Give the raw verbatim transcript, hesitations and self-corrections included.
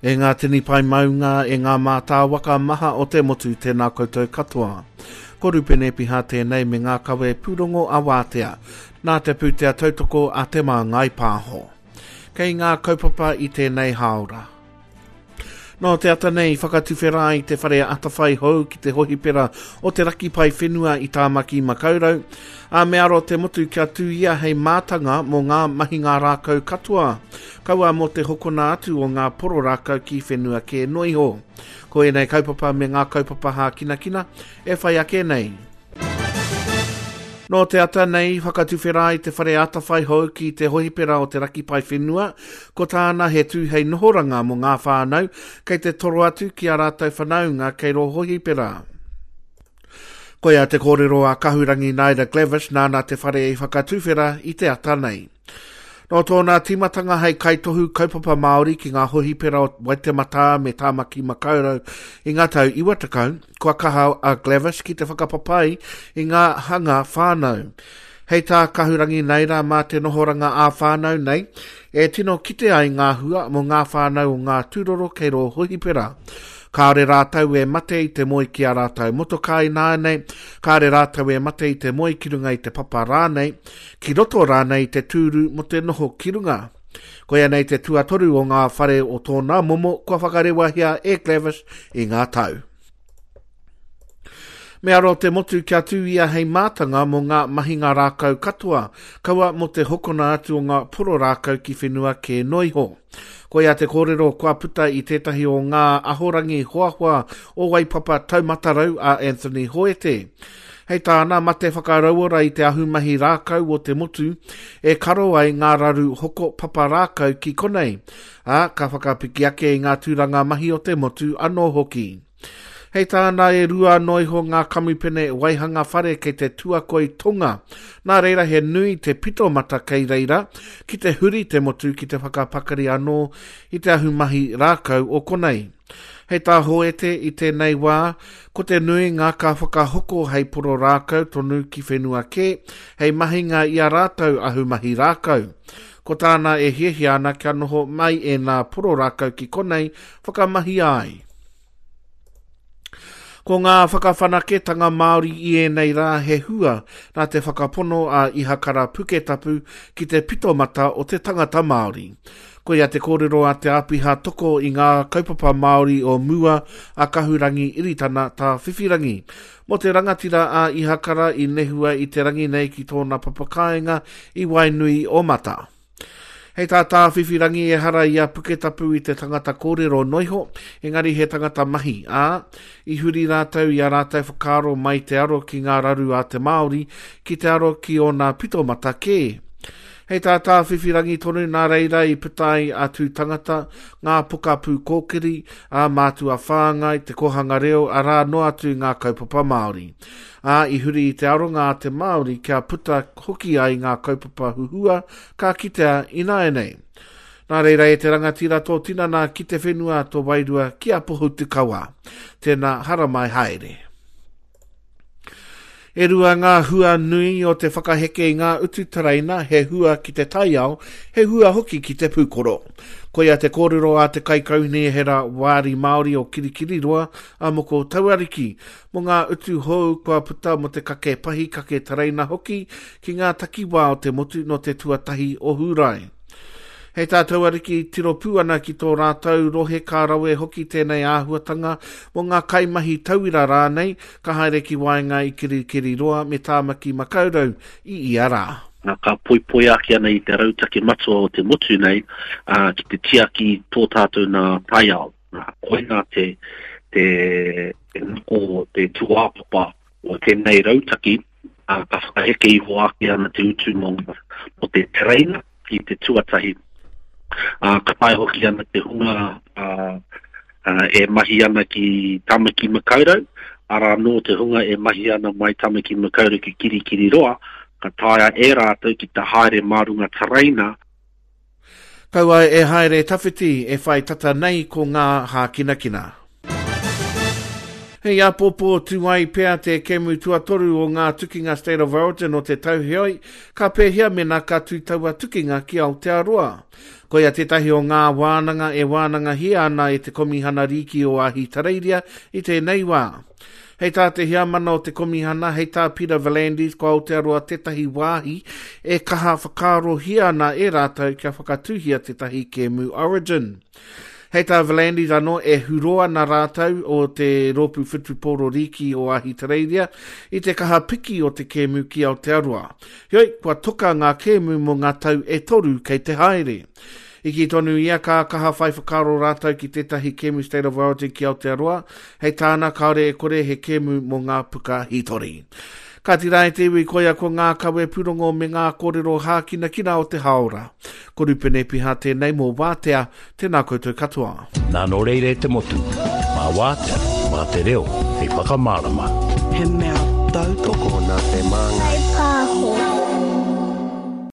E ngā tini pae maunga, e ngā mātāwaka maha o te motu, tēnā koutou katoa. Ko Rupene Piha tēnei me ngā kawe pūrongo a Wātea, nā te pūtea tautoko a Te Māngai Pāho. Kei ngā kaupapa i tēnei hāora. Nō te ata nei whakatuwhera ai te whare atawhai hou ki te hohipera o te Raki Paewhenua i Tāmaki Makaurau, a me aro te motu kia tū ia hei mātanga mō ngā mahinga rākau katoa, kaua mō te hokona atu o ngā poro rākau ki whenua kē noa iho. Ko ēnei kaupapa me ngā kaupapa hākinakina e whai ake nei. Nō te ata nei, whakatuwhera ai te whare atawhai hou ki te hohipera o te Raki Paewhenua, ko tāna he tū hei nohoranga mō ngā whānau, kei te toro atu ki a rātou whanaunga kei rō hohipera. Koia te kōrero a Kahurangi Naida Glavish nāna te whare i whakatuwhera i te ata nei. Nō tōna tīmatanga hei kaitohu kaupapa Māori ki ngā hohipera o Waitematā me Tāmaki Makaurau i ngā tau iwa tekau, kua kaha a Glavish ki te whakapapai i ngā hanga whānau. Hei tā Kahurangi Naida mā te nohoranga ā-whānau nei, e tino kite ai ngā hua mō ngā whānau o ngā tūroro kei rō hohipera. Kāore rātou e mate i te moe ki a rātou motokā ināianei, kāore rātou e mate i te moe ki runga i te papa rānei, ki roto rānei i te tūru mō te noho ki runga. Koia nei te tuatoru o ngā whare o tōna momo kua whakarewahia e Glavish i ngā tau. Me aro te motu kia tū ia hei mātanga mō ngā mahinga rākau katoa, kaua mō te hokona atu o ngā poro rākau ki whenua kē noa iho. Koia te kōrero kua puta i tētahi o ngā ahorangi hoahoa o Waipapa Taumatarau a Anthony Hoete. Hei tāna, mate whakarauora i te ahumahi rākau o te motu e karo ai ngā raru hoko papa rākau ki konei, ā, ka whakapiki ake i ngā tūranga mahi o te motu anō hoki. Hei tāna e rua noa iho ngā kamupene waihanga whare kei te tuakoi tonga. Nā reira he nui te pito mata kei reira ki te huri te motu ki te whakapakari anō i te ahumahi rākau o konei. Hei tā Hoete i tēnei wā, ko te nui ngā ka whakahoko hei poro rākau tonu ki whenua kē, hei mahinga i a rātou ahumahi rākau. Ko tāna e hiahia ana kia noho mai e nā poro rākau ki konei whakamahia ai. Ko ngā whakawhanaketanga Māori i ēnei rā he hua nā te whakapono a Ihakara Puketapu ki te pitomata o te tangata Māori. Koia te kōrero a te āpiha toko i ngā kaupapa Māori o mua a Kahurangi Iritana Tā Whiwhirangi. Mō te rangatira a Ihakara i nehua i te rangi nei ki tōna papakāinga i Wainui o Mata. Hei tā Tā Whiwhirangi e hara i a Puketapu i te tangata kōrero noiho, engari he tangata mahi, ā, i huri rātou i a rātou whakaaro mai te aro ki ngā raru a te Māori, ki te aro ki ōna pitomata kē. Hei tā Tā Whiwhirangi tonu nā reira i puta ai a Tū Tangata, ngā pokapū kōkiri, a Mātua Whāngai, te kohanga reo, arā noa atu ngā kaupapa Māori. Ā, i huri i te aronga a te Māori kia puta hoki ai ngā kaupapa huhua ka kitea ināianei. Nā reira e te rangatira tō tinana ki te whenua tō wairua ki a Pohutukawa. Tēnā haramai haere. E rua ngā hua nui o te whakaheke i ngā utu tereina, he hua ki te taiao, he hua hoki ki te pūkoro. Koia te kōrero a te kaikaunihera Wāri Māori o Kirikiriroa a Moko Tauariki, mō ngā utu hou kua puta mō te kake pahi kake tereina hoki ki ngā takiwā o te motu nō te tuatahi o Hūrae. Hei tā Tauariki tiro pū ana ki tō rātou rohe ka rawe hoki tēnei āhuatanga mō ngā kaimahi tauira rānei ka haere ki waenga i Kirikiriroa me Tāmaki Makaurau i ia rā. Nā, ka poipoi ake ana i te rautaki matua o te motu nei, ā, ki te tiaki tō tātou nā taiao. Nā, koinā te, te, te nako, te tūāpapa o tēnei rautaki, ā, ka whakaheke iho ake ana te utu mō, mō te tereina i te tuatahi. Ā, ka tae hoki ana te hunga ā, ā, e mahi ana ki Tāmaki Makaurau, arā anō te hunga e mahi ana mai Tāmaki Makaurau ki Kirikiriroa, ka taea e rātou ki te haere mā runga tereina. Kaua e haere tawhiti e whai tata nei ko ngā hākinakina. Hei āpōpō tū ai pea te kēmu tuatoru o ngā tukinga State of Origin o te tau heoi, ka pēhea mena ka tū taua tukinga ki Aotearoa. Koia tētahi o ngā wānanga e wānangahia ana e te Komihana Rīki o Ahitereiria i tēnei wā. Hei tā te heamana o te Komihana, hei tā Peter V'landys, ko Aotearoa tētahi wāhi e kaha whakaarohia ana e rātou kia whakatūhia tētahi kēmu Origin. Hei tā V'landys anō e huro ana rātou o te rōpū whutupōro rīki o Ahitereiria i te kaha piki o te kēmu ki Aotearoa. Heoi, kua toka ngā kēmu mō ngā tau e toru kei te haere. I kī tonu ia ka kaha whai whakaaro rātou ki tētahi kēmu State of Origin ki Aotearoa, hei tāna kāore e kore he kēmu mō ngā puka hītori. Ka tira e te iwi koia ko ngā kawe pūrongo me ngā kōrero hākinakina o te haora. Ko Rupene Piha tēnei mō Wātea, tēnā koutou katoa. Nā nō reira e te motu, mā Wātea, mā te reo, hei whakamārama. He mea tautoko Nā te māngai.